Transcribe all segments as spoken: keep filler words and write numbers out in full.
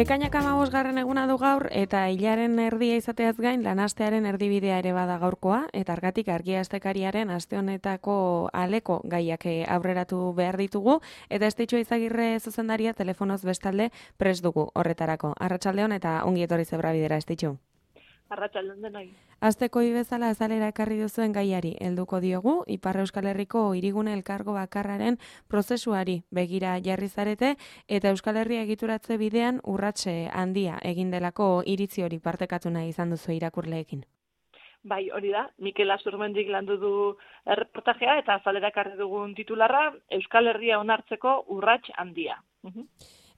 Ekainak hamabosgarren eguna du gaur eta hilaren erdia izateaz gain lanastearen erdibidea ere bada gaurkoa eta argatik argia astekariaren aste honetako aleko gaiak aurreratu behar ditugu eta Estitxu Izagirre zuzendaria telefonoz bestalde prest dugu horretarako. Arratsaldeon eta ongi etorri Zebrabidera, Estitxu. Arratsaldeon denoi. Asteko bezala azalera ekarri duzuen gaiari helduko diogu, Ipar Euskal Herriko hirigune elkargo bakarraren prozesuari begira jarri zarete eta Euskal Herria egituratze bidean urratse handia egin delako iritzi hori partekatu nahi izan duzu irakurleekin. Bai, hori da, Mikel Azurmendik landu du erreportajea eta azalera ekarri dugun titularra Euskal Herria onartzeko urrats handia. Uh-huh.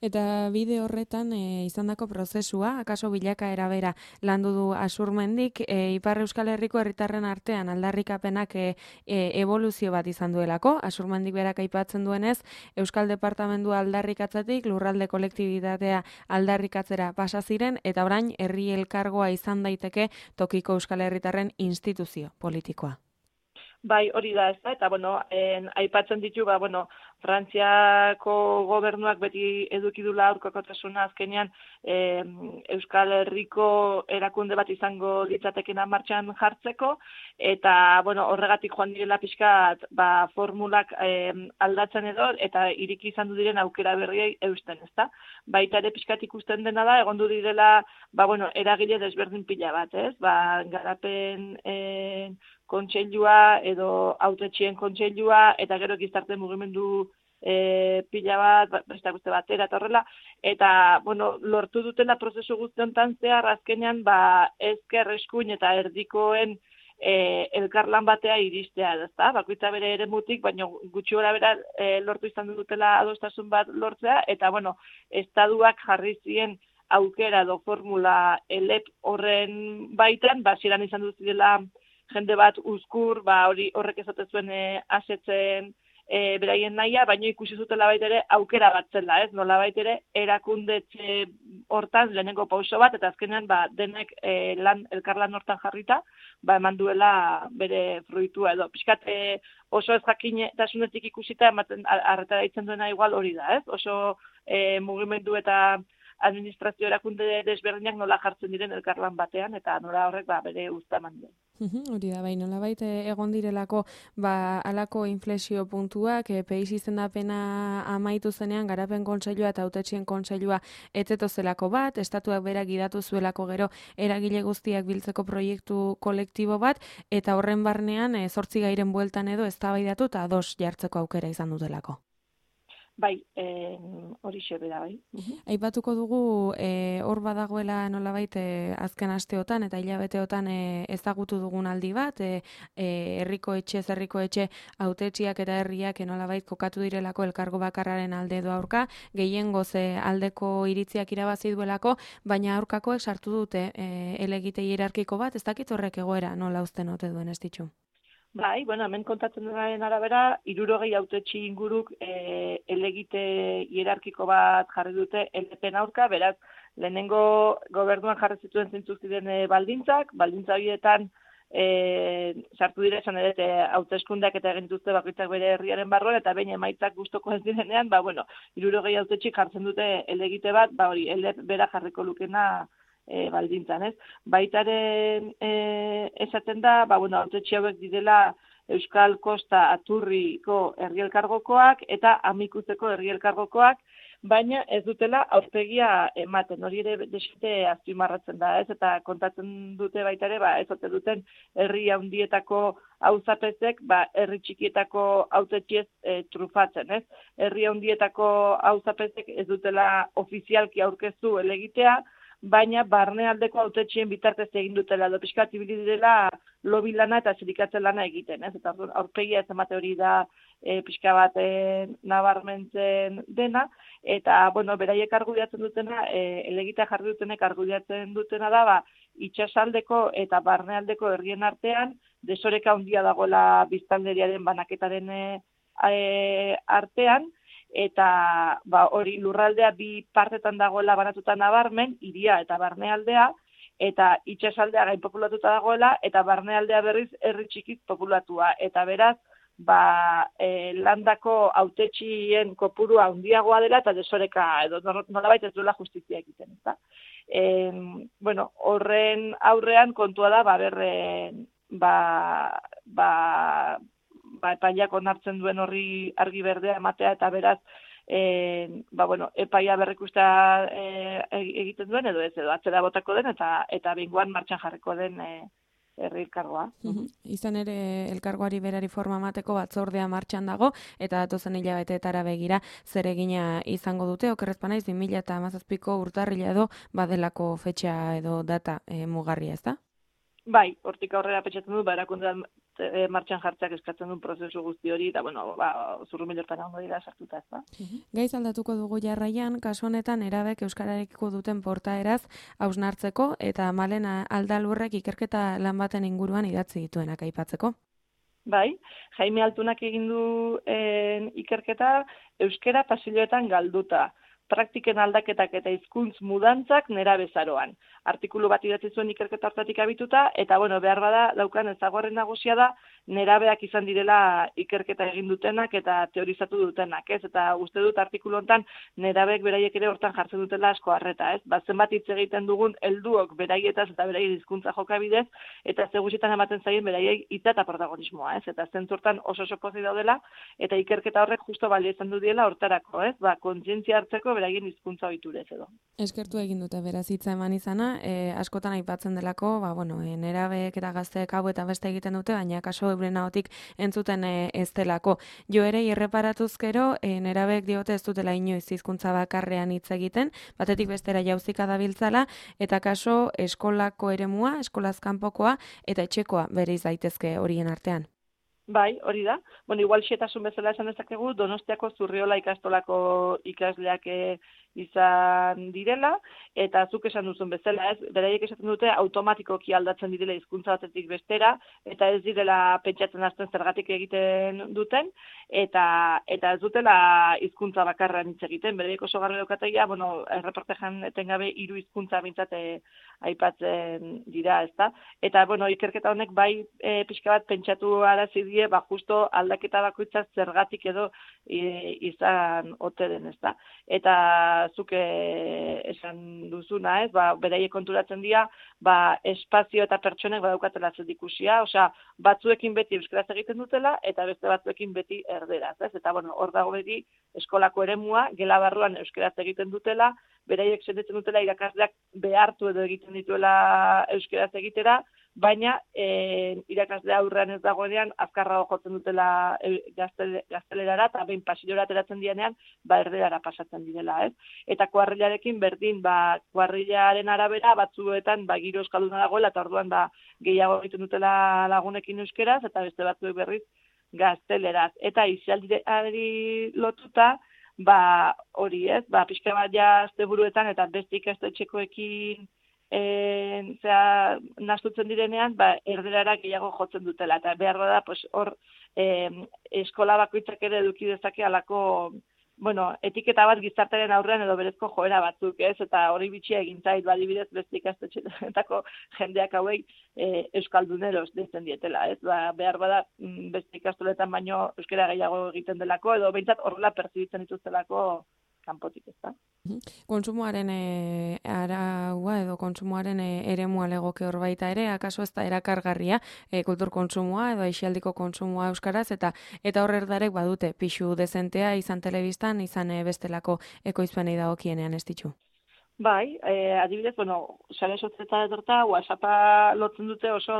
Eta bide horretan e, izandako prozesua, akaso bilakaera bera landu du Azurmendik, e, Ipar Euskal Herriko herritarren artean aldarrikapenak e, e, evoluzio bat izan duelako. Azurmendik berak aipatzen duenez, Euskal Departamendua aldarrikatzetik lurralde kolektibitatea aldarrikatzera pasa ziren eta orain herri elkargoa izan daiteke tokiko Euskal Herritarren instituzio politikoa. Bai, hori da, ez da, eta, bueno, en, aipatzen ditu, ba, bueno, Frantziako gobernuak beti edukidula aurkakotasuna azkenean e, Euskal Herriko erakunde bat izango litzatekena martxan jartzeko, eta, bueno, horregatik joan direla pixkat, ba, formulak e, aldatzen edo, eta iriki izan du diren aukera berriei eusten, ez da? Baita ere pixkat ikusten dena da, egon du direla, ba, bueno, eragile desberdin pila bat, ez? Ba, garapen e, kontseilua edo hautetxien kontseilua eta gero gizarte mugimendu e, pila bat, besteak beste batera eta horrela, eta bueno, lortu dutela prozesu guztiontan zehar azkenean ba, ezker eskuin eta erdikoen e, elkarlan batea iristea, ezta? Bakoitza bere eremutik, baina gutxi gora bera e, lortu izan dutela adostasun bat lortzea, eta bueno, estaduak jarri zien aukera edo formula elep horren baitan, basieran izan dut zirela jende bat uzkur, ba hori horrek esaten zuen e, asetzen e, beraien nahia, baina ikusi zutela baita ere aukera bat zela, ez? Nola baita ere erakundetxe hortan lehenengo pauso bat, eta azkenean ba, denek e, lan, elkarlan hortan jarrita, ba eman duela bere fruitua edo. Piskat e, oso ez jakinetasunetik ikusita ematen arretara ditzen duena igual hori da, ez? Oso e, mugimendu eta administrazio erakunde desberdinak nola jartzen diren elkarlan batean, eta nola horrek ba, bere uzta eman duen. Hori da, bai, nolabait egon direlako ba, alako inflexio puntuak, e, peiz izendapena amaitu zenean, garapen kontseilua eta hautetxien kontseilua etzeto zelako bat, estatuak berak gidatu zuelako gero eragile guztiak biltzeko proiektu kolektibo bat, eta horren barnean e, zortzi gairen bueltan edo eztabaidatu eta ados jartzeko aukera izan dutelako. Bai, eh, hori xebera, bai. Uh-huh. Aipatuko dugu e, hor badagoela nolabait e, azken asteotan eta hilabeteotan e, ezagutu dugun aldi bat, e, e, herriko etxe, herriko etxe hautetsiak eta herriak e, nolabait kokatu direlako elkargo bakarraren alde edo aurka, gehiengoz e, aldeko iritziak irabazi duelako, baina aurkakoek sartu dute e, elegite hierarkiko bat, ez dakit horrek egoera nola uzten ote duen, Estitxu? Bai, bueno, hemen kontatzen denaren arabera, hirurogei hautetsi inguruk e, elegite hierarkiko bat jarri dute elepen aurka, beraz, lehenengo gobernuan jarri zituen zintzuk ziren e, baldintzak, baldintza horietan e, sartu dira esan ere hauteskundeak eta egin dute bakoitzak bere herriaren barruan, eta behin emaitzak gustoko ez direnean, ba, bueno, hirurogei hautetsi jartzen dute elegite bat, ba hori, elep bera jarriko lukena E, baldintzan, ez? Baitaren e, esaten da, ba, bueno, hautetxe hauek direla Euskal Kosta Aturriko herri elkargokoak eta Amikuzeko herri elkargokoak, baina ez dutela aurpegia ematen, hori ere desite azpimarratzen da, ez? Eta kontatzen dute baita ere, ba, ez ote duten herri handietako auzapezek, ba, herri txikietako hautetxiez e, trufatzen, ez? Herri handietako auzapezek ez dutela ofizialki aurkeztu elegitea, baina barnealdeko hautetxien bitartez egin dutela, edo pixkat ibili direla lobi lana eta sindikatzen lana egiten, ez? Eta aurpegia ez emate hori da e, pixka bat e, nabarmentzen dena, eta, bueno, beraiek argudiatzen dutena, e, elegita jarri dutenek argudiatzen dutena da, ba, itsasaldeko eta barnealdeko herrien artean, desoreka handia dagoela biztanleriaren banaketaren e, e, artean, eta ba, hori lurraldea bi partetan dagoela banatuta nabarmen, hiria eta barnealdea, eta itsasaldea gain populatuta dagoela, eta barnealdea berriz herri txikiz populatua. Eta beraz, ba, e, landako hautetxien kopurua handiagoa dela eta desoreka edo nolabait ez duela justizia egiten, ezta? E, bueno, horren aurrean kontua da, ba, berren, ba, ba, ba, epaiak onartzen duen horri argi berdea ematea eta beraz, e, ba, bueno, epaia berrikusta e, egiten duen edo ez, edo atzera botako den eta eta bingoan martxan jarriko den e, herri elkargoa. Mm-hmm. Izan ere elkargoari berari forma emateko batzordea martxan dago eta datozen hilabeteetara begira zer egina izango dute, okerrez banaiz bi mila hamazazpiko urtarrila edo badelako fetxa edo data e, mugarria, ezta? Bai, hortik aurrera pentsatzen du, ba, erakundean e, martxan jartzeak eskatzen duen prozesu guzti hori, eta, bueno, ba, zurrumilortan ondo dira sartuta, ez da. Gaiz aldatuko dugu jarraian, kasu honetan erabek euskararekiko duten portaeraz hausnartzeko eta malen aldalurrek ikerketa lan baten inguruan idatzi dituenak aipatzeko. Bai, Jaime Altunak egin du en, ikerketa euskara pasilloetan galduta. Praktiken aldaketak eta hizkuntz mudantzak nera bezaroan. Artikulu bat idatzi zuen ikerketa hartatik abituta, eta bueno, behar bada daukan ezaguarren nagusia da, nerabeak izan direla ikerketa egin dutenak eta teorizatu dutenak, ez? Eta uste dut artikulu hontan nerabeek beraiek ere hortan jartzen dutela asko harreta, ez? Ba, zenbat hitz egiten dugun helduok beraietaz eta beraien hizkuntza jokabidez, eta ze gutxitan ematen zaien beraiei hitza eta protagonismoa, ez? Eta zentzurtan oso oso pozik daudela, eta ikerketa horrek justo balio izan du diela hortarako, ez? Ba, kontzientzia hartzeko beraien hizkuntza ohiturez edo. Eskertu egin dute beraz hitza eman izana, e, askotan aipatzen delako, ba, bueno, e, nerabeek eta gazteek hau eta beste egiten dute, baina kaso euren ahotik entzuten e, ez delako. Jo ere, irreparatuz gero, e, nerabeek diote ez dutela inoiz hizkuntza bakarrean hitz egiten, batetik bestera jauzika dabiltzala, eta kaso eskolako eremua, eskolaz kanpokoa eta etxekoa bereiz daitezke horien artean. Bai, hori da. Bueno, igual xetasun bezala esan dezakegu, Donostiako Zurriola ikastolako ikasleak izan direla, eta zuk esan duzun bezala, ez, beraiek esaten dute automatikoki aldatzen direla hizkuntza batetik bestera, eta ez direla pentsatzen hasten zergatik egiten duten, eta eta ez dutela hizkuntza bakarran hitz egiten, beraiek oso garbi daukateia, bueno, erreportajean etengabe hiru hizkuntza behintzat aipatzen dira, ezta? Eta, bueno, ikerketa honek bai e, pixka bat pentsatu arazi die, ba, justo aldaketa bakoitza zergatik edo e, izan ote den, ezta? Eta zuk esan duzuna, ez? Ba, beraiek konturatzen dira, ba, espazio eta pertsonek badaukatela zerikusia, osea, batzuekin beti euskaraz egiten dutela eta beste batzuekin beti erderaz, ez? Eta bueno, hor dago beti eskolako eremua, gela barruan euskaraz egiten dutela, beraiek sentitzen dutela irakasleak behartu edo egiten dituela euskaraz egitera, baina e, irakaslea aurrean ez dagoenean azkarrago jotzen dutela e, gazte, gaztelerara eta behin pasillora ateratzen dianean, ba erderara pasatzen direla, ez? Eta kuarrilarekin berdin, ba kuarrilaren arabera batzuetan ba giro euskalduna dagoela eta orduan ba gehiago egiten dutela lagunekin euskeraz eta beste batzuek berriz gazteleraz. Eta isialdiari lotuta, ba hori, ez? Ba pixka bat ja asteburuetan eta beste ikastetxekoekin Eh, zera, nastutzen direnean, ba, erderara gehiago jotzen dutela. Eta behar da, pues, hor eh, eskola bakoitzak ere eduki dezake alako, bueno, etiketa bat gizartearen aurrean edo berezko joera batzuk, ez? Eta hori bitxia egin zait, badibidez beste ikastetxeetako jendeak hauei eh, euskalduneros deitzen dietela, ez? Ba, behar bada beste ikastoletan baino euskara gehiago egiten delako, edo behintzat horrela pertzibitzen dituztelako kanpotik, ez da? Kontsumoaren e, araua edo kontsumoaren e, eremua legoke hor baita ere, akaso ez da erakargarria e, kultur kontsumoa edo aisialdiko kontsumoa euskaraz, eta eta horrer darek badute pixu dezentea izan telebistan, izan e, bestelako ekoizpenei dagokienean ez ditu. Bai, eh, adibidez, bueno, sare sozietara etorta, WhatsAppa lotzen dute oso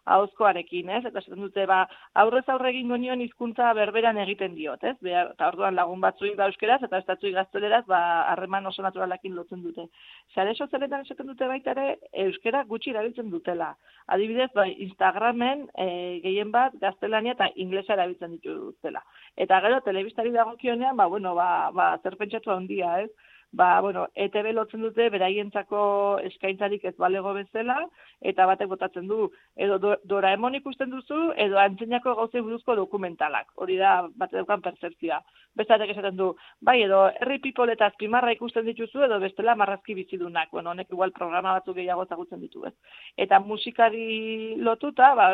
ahozkoarekin, ez? Eta esaten dute, ba, aurrez aurre egingo nion hizkuntza berberan egiten diot, ez? Behar, eta orduan lagun batzuik da euskeraz, eta estatzuik gazteleraz, ba, harreman oso naturalakin lotzen dute. Sare sozialetan esaten dute baita ere, euskera gutxi erabiltzen dutela. Adibidez, ba, Instagramen eh, gehien bat gaztelania eta inglesa erabiltzen dituztela. Eta gero, telebistari dagokionean, ba, bueno, ba, ba, zer pentsatu handia, ez? ba, bueno, E T B lotzen dute beraientzako eskaintzarik ez balego bezala, eta batek botatzen du, edo do, Doraemon ikusten duzu, edo antzeinako gauzei buruzko dokumentalak. Hori da, bat daukan pertzepzioa. Bestatek esaten du, bai, edo herri people eta azpimarra ikusten dituzu, edo bestela marrazki bizidunak. Bueno, honek igual programa batzuk gehiago ezagutzen ditu, ez. Eta musikari lotuta, ba,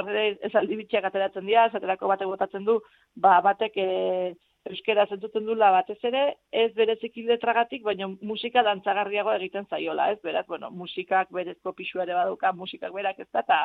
esaldi bitxiak ateratzen dira, esaterako batek botatzen du, ba, batek e, euskera zentzuten dula batez ere, ez bereziki letragatik, baina musika dantzagarriago egiten zaiola, ez? Beraz, bueno, musikak berezko pixua ere baduka, musikak berak ez da, eta,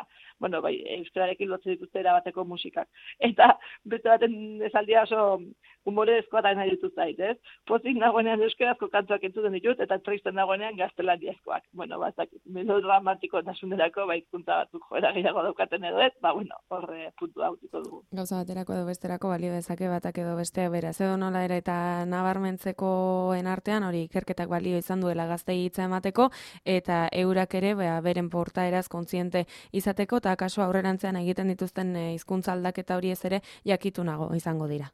bueno, bai, euskararekin lotzen dituzte erabateko musikak. Eta, beste baten esaldia oso humorezkoa da nahi dituz zait, ez? Pozik nagoenean euskarazko kantuak entzuten ditut, eta tristen nagoenean gaztelaniazkoak. Bueno, bazak, melodramatiko nasunerako, bai, hizkuntza batzuk joera gehiago daukaten edo ez, ba, bueno, horre puntu hautiko dugu. Gauza baterako edo besterako balio dezake batak edo beste bera. Edo nola ere eta nabarmentzekoen artean hori ikerketak balio izan duela gaztei hitza emateko eta eurak ere bea, beren portaeraz kontziente izateko eta kaso aurrerantzean egiten dituzten hizkuntza aldaketa hori ez ere jakitunago izango dira.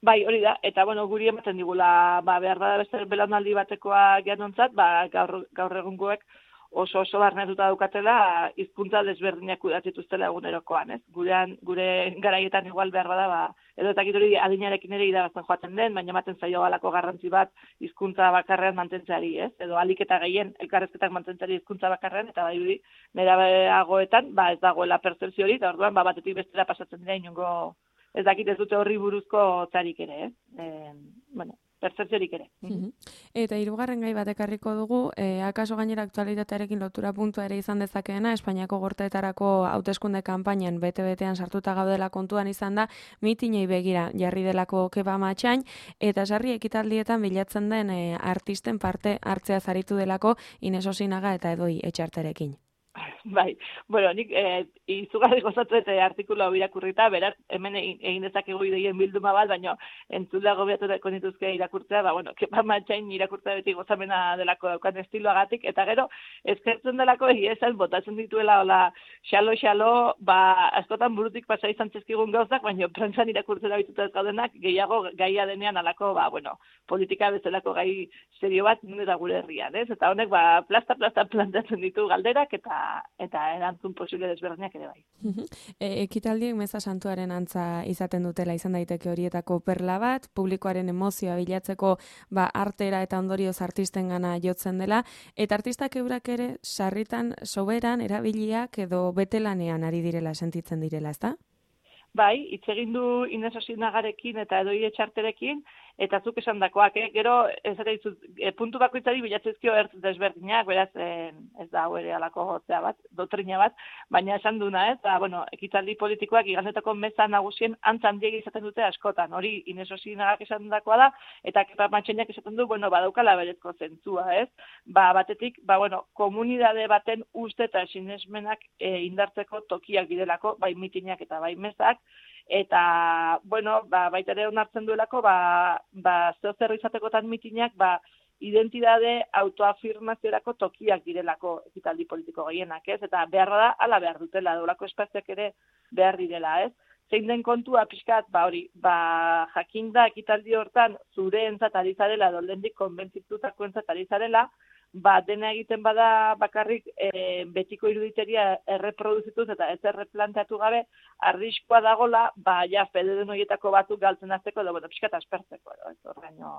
Bai, hori da, eta bueno, guri ematen digula, ba, behar bada beste belaunaldi batekoa geanontzat, ba, gaur, gaur egungoek oso oso barnetuta daukatela hizkuntza desberdinak kudatituztela egunerokoan, ez? Gurean, gure garaietan igual behar bada, ba, edo eta hori adinarekin ere irabazten joaten den, baina ematen zaio galako garrantzi bat hizkuntza bakarrean mantentzeari, ez? Edo alik eta gehien elkarrezketak mantentzeari hizkuntza bakarrean, eta bai hori nerabeagoetan, ba, ez dagoela pertzepzio hori, eta orduan, ba, batetik bestera pasatzen dira inongo, ez dakit ez dute horri buruzko txarik ere, ez? E, bueno, pertzepziorik ere. Mm-hmm. Eta hirugarren gai bat ekarriko dugu, e, akaso gainera aktualitatearekin lotura puntua ere izan dezakeena, Espainiako gorteetarako hauteskunde kanpainan bete-betean sartuta gaudela kontuan izan da, mitinei begira jarri delako keba matxain, eta sarri ekitaldietan bilatzen den e, artisten parte hartzea zaritu delako Ines Osinaga eta Edoi Etxarterekin. Bai, bueno, nik eh, izugarri gozatu eta artikulu hau irakurrita, beraz, hemen egin dezakegu ideien bilduma bat, baina entzula gobiatuko nituzke irakurtzea, ba, bueno, kepa matxain irakurtzea beti gozamena delako daukan estiloagatik, eta gero, eskertzen delako egia esan, botatzen dituela, hola, xalo-xalo, ba, askotan burutik pasa izan txezkigun gauzak, baina prentsan irakurtzera bituta ez gaudenak, gehiago gaia denean alako, ba, bueno, politika bezalako gai serio bat, nire da gure herrian, ez? Eta honek, ba, plasta-plasta plantatzen ditu galderak, eta eta erantzun posible desberdinak ere bai. E, ekitaldiek meza santuaren antza izaten dutela izan daiteke horietako perla bat, publikoaren emozioa bilatzeko ba, artera eta ondorioz artistengana jotzen dela, eta artistak eurak ere sarritan soberan erabiliak edo betelanean ari direla sentitzen direla, ezta? Bai, hitz egin du Ines Osinagarekin eta Edoi Etxarterekin, eta zuk esan dakoak, eh? Gero, ez ere izut, e, puntu bakoitzari bilatzezkio ertz desberdinak, beraz, e, ez da hau ere alako gotzea bat, dotrina bat, baina esan duna, ez, da, bueno, ekitaldi politikoak igandetako meza nagusien antzan diegi izaten dute askotan, hori Ines Osinagak esan dakoa da, eta kepa matxainak esaten du, bueno, badaukala berezko zentzua, ez, ba, batetik, ba, bueno, komunidade baten uste eta sinesmenak e, indartzeko tokiak bidelako, bai mitinak eta bai mezak, eta, bueno, ba, baita ere onartzen duelako, ba, ba, zeo zer izatekotan mitinak, ba, identidade autoafirmaziorako tokiak direlako ekitaldi politiko gehienak, ez? Eta beharra da, ala behar dutela, dolako espaziak ere behar direla, ez? Zein den kontua pixkat, ba hori, ba, jakin da ekitaldi hortan zure entzat ari zarela, doldendik konbentzitutako entzat ari zarela, ba, dena egiten bada bakarrik e, betiko iruditeria erreproduzituz eta ez erreplanteatu gabe, arriskoa dagola, ba, ja, fede den horietako batzuk galtzen azteko, edo, bueno, pixkat aspertzeko, edo, ez horreino.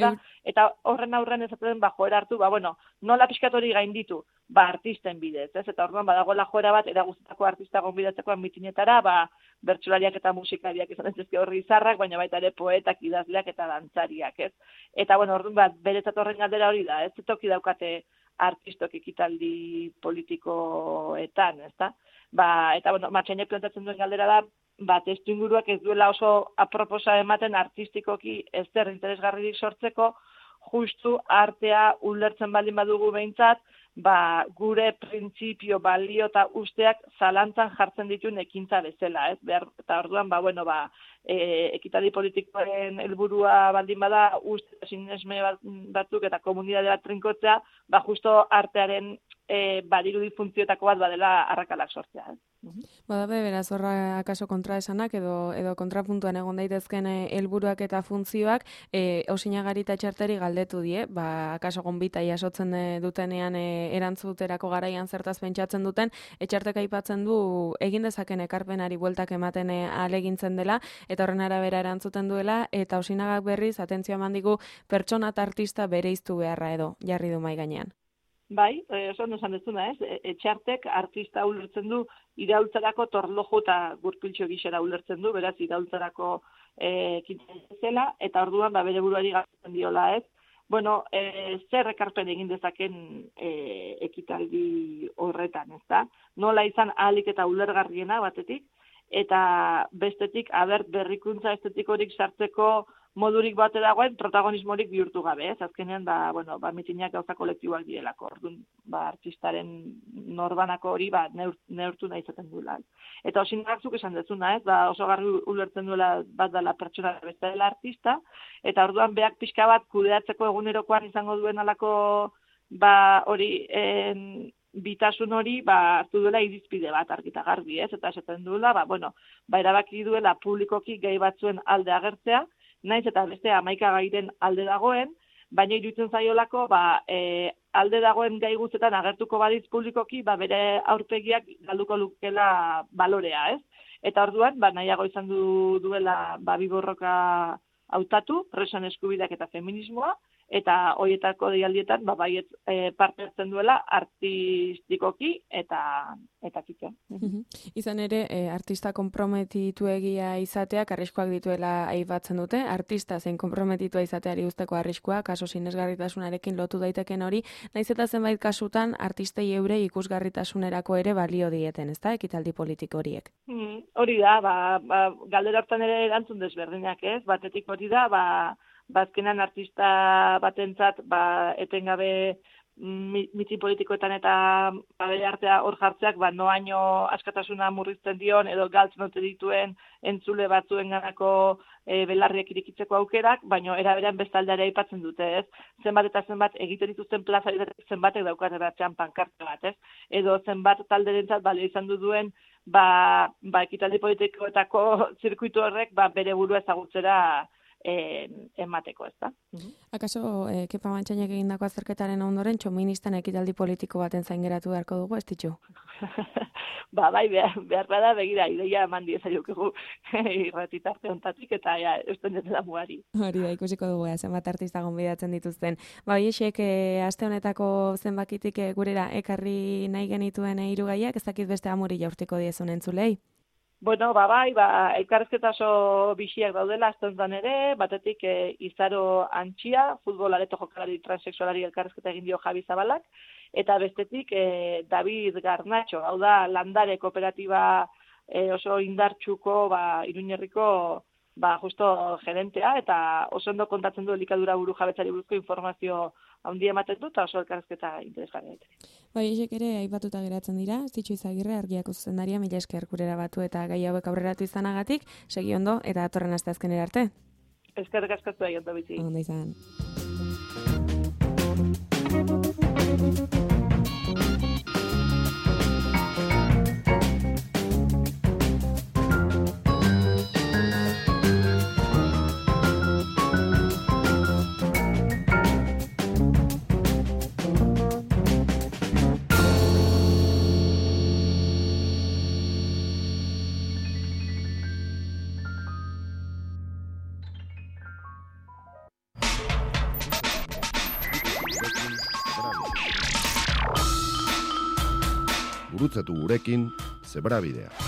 Da? Eta horren aurren ezaten, ba, joera hartu, ba, bueno, nola pixkat hori gainditu, ba, artisten bidez, ez? Eta orduan, badagoela joera bat, eraguztako artista gonbidatzekoan mitinetara, ba, bertsolariak eta musikariak izan ez horri izarrak, baina baita ere poetak, idazleak eta dantzariak, ez? Eta, bueno, orduan, bat, beretzat horren galdera hori da, ez? Toki daukate artistok ekitaldi politikoetan, ezta? Ba, eta, bueno, matxainek plantatzen duen galdera da, ba, testu inguruak ez duela oso aproposa ematen artistikoki ez zer interesgarririk sortzeko, justu artea ulertzen baldin badugu behintzat, ba, gure printzipio, balio eta usteak zalantzan jartzen dituen ekintza bezala, ez? Behar, eta orduan, ba, bueno, ba, e, ekitaldi politikoaren helburua baldin bada, uste sinesme batzuk eta komunidade bat trinkotzea, ba, justo artearen e, badirudi funtzioetako bat badela arrakalak sortzea. Eh? Badabe, beraz, horra akaso kontraesanak edo edo kontrapuntuan egon daitezken helburuak eta funtzioak, e, Osinagari eta Txarteri galdetu die, ba, akaso gonbita jasotzen dutenean e, erantzuterako garaian zertaz pentsatzen duten, Etxartek aipatzen du egin dezaken ekarpenari bueltak ematen ahalegintzen dela, eta horren arabera erantzuten duela, eta Osinagak berriz, atentzioa eman digu, pertsona eta artista bereiztu beharra edo, jarri du mai gainean. Bai, oso ondo esan dezuna, ez? Etxartek artista ulertzen du iraultzarako torlojo eta gurpiltxo gisera ulertzen du, beraz iraultzarako ekintzen zela, eta orduan ba, bere buruari galtzen diola, ez? Bueno, e, zer ekarpen egin dezaken e, ekitaldi horretan, ez da? Nola izan ahalik eta ulergarriena batetik, eta bestetik, aber, berrikuntza estetikorik sartzeko modurik bate dagoen protagonismorik bihurtu gabe, ez? Azkenean, ba, bueno, ba, mitinak gauza kolektiboak direlako, orduan, ba, artistaren norbanako hori, ba, neur, neurtu nahi izaten duela. Eta Osinagak zuk esan dezuna, ez? Ba, oso garri ulertzen duela bat dela pertsona beste dela artista, eta orduan beak pixka bat kudeatzeko egunerokoan izango duen alako, ba, hori, en, bitasun hori, ba, hartu duela irizpide bat argita garbi, ez? Eta esaten duela, ba, bueno, ba, erabaki duela publikoki gai batzuen alde agertzea, naiz eta beste hamaika gairen alde dagoen, baina iruditzen zaiolako ba, e, alde dagoen gai guztetan agertuko badiz publikoki, ba, bere aurpegiak galduko lukela balorea, ez? Eta orduan, ba, nahiago izan du duela ba, biborroka hautatu, presoen eskubideak eta feminismoa, eta horietako deialdietan ba, baiet e, parte hartzen duela artistikoki eta eta kito. Mm-hmm. Izan ere, e, artista konprometitu egia izateak arriskoak dituela aipatzen dute, artista zein konprometitua izateari usteko arriskoa, kaso sinesgarritasunarekin lotu daiteken hori, naiz eta zenbait kasutan artistei eure ikusgarritasunerako ere balio dieten, ezta, ekitaldi politiko horiek? Mm, hori da, ba, ba, galdera hartan ere erantzun desberdinak, ez? Batetik hori da, ba, bazkenan artista batentzat ba, etengabe mitin politikoetan eta ba, bere artea hor jartzeak ba, noaino askatasuna murrizten dion edo galtzen ote dituen entzule batzuen ganako e, belarriak irikitzeko aukerak, baina eraberean bestaldeare aipatzen dute, ez? Zenbat eta zenbat egiten dituzten plaza zenbatek daukate batzean pankarte bat, ez? Edo zenbat talderentzat balio izan du duen ba, ba, ekitaldi politikoetako zirkuitu horrek ba, bere burua ezagutzera E, emateko, ez da. Uh-huh. Akaso, e, Kepa Mantxainek egindako azterketaren ondoren, txoministan ekitaldi politiko baten zain geratu beharko dugu, ez ditxu? ba, bai, behar, behar da, begira, ideia eman diezaiokegu irratitarte ontatik, eta ja, eusten dela mugari. Hori da, ikusiko dugu, zenbat artista gonbidatzen dituzten. Ba, hiesek, e, aste honetako zenbakitik e, gurera ekarri nahi genituen e, irugaiak, ez dakit beste amuri jaurtiko diezun entzulei? Bueno, ba, bai, ba, elkarrezketa oso bixiak daudela, azten ere, batetik e, Izaro Antxia, futbol areto jokalari transexualari elkarrezketa egin dio Javi Zabalak, eta bestetik e, David Garnacho, hau da, landare kooperatiba e, oso indartxuko, ba, Iruñerriko, ba, justo gerentea, eta oso ondo kontatzen du elikadura buru jabetzari buruzko informazio handia ematen du, eta oso elkarrezketa interesgarria. Bai, esek ere aipatuta geratzen dira, Zitxu Izagirre, Argiako zuzendaria, mila esker gurera batu eta gai hauek aurreratu izanagatik, segi ondo eta datorren aste azkenera arte. Eskerrik asko zuei ondo bizi. Ondo izan. Gurutzatu gurekin, Zebrabidea.